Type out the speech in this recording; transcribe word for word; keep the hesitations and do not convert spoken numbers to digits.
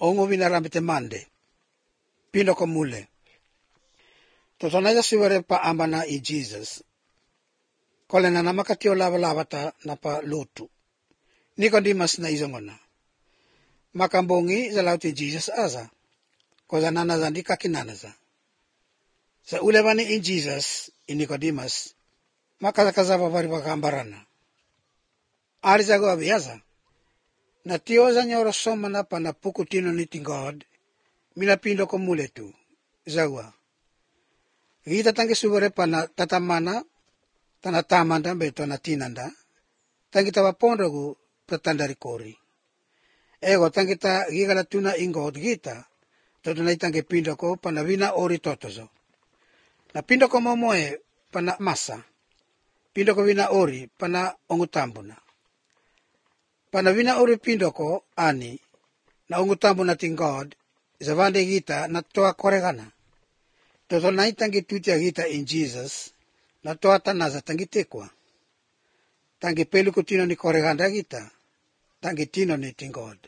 ongo vinarambite mande. Pino ko mule. Totonaja siwere pa ambana i Jesus. Kole na namakatio lava lavata na pa lotu. Nicodemus na izongona. Makambongi za lauti Jesus aza. Koza nanaza ndi kakinanaza. Sa ulevani in Jesus in Nicodemus. Makazakazava vari wakambarana. Arizago abiaza. Na tioza nyoro somana pa na pukutino niti God. Minapindo ko mule tu. Zawa. Gita tangi subere pa na tatamana. Tana tamanda beto na tinanda. Tangi tawa pondogu pretandari kori. Ego tangi ta gigala tuna ingo gita. Toto na itangi pindo ko pa na vina ori totozo. Na pindo ko momoe pa na masa. Pindo ko vina ori pa na ongutambuna. Pa na vina ori pindo ko ani. Na ongutambuna ting God. Zavande gita na toa koregana. Toto na itangi tutia gita in Jesus. Na toa tanaza tangi tekwa. Tangi pelu kutino ni koreganda gita. Tangi tino ni ting God.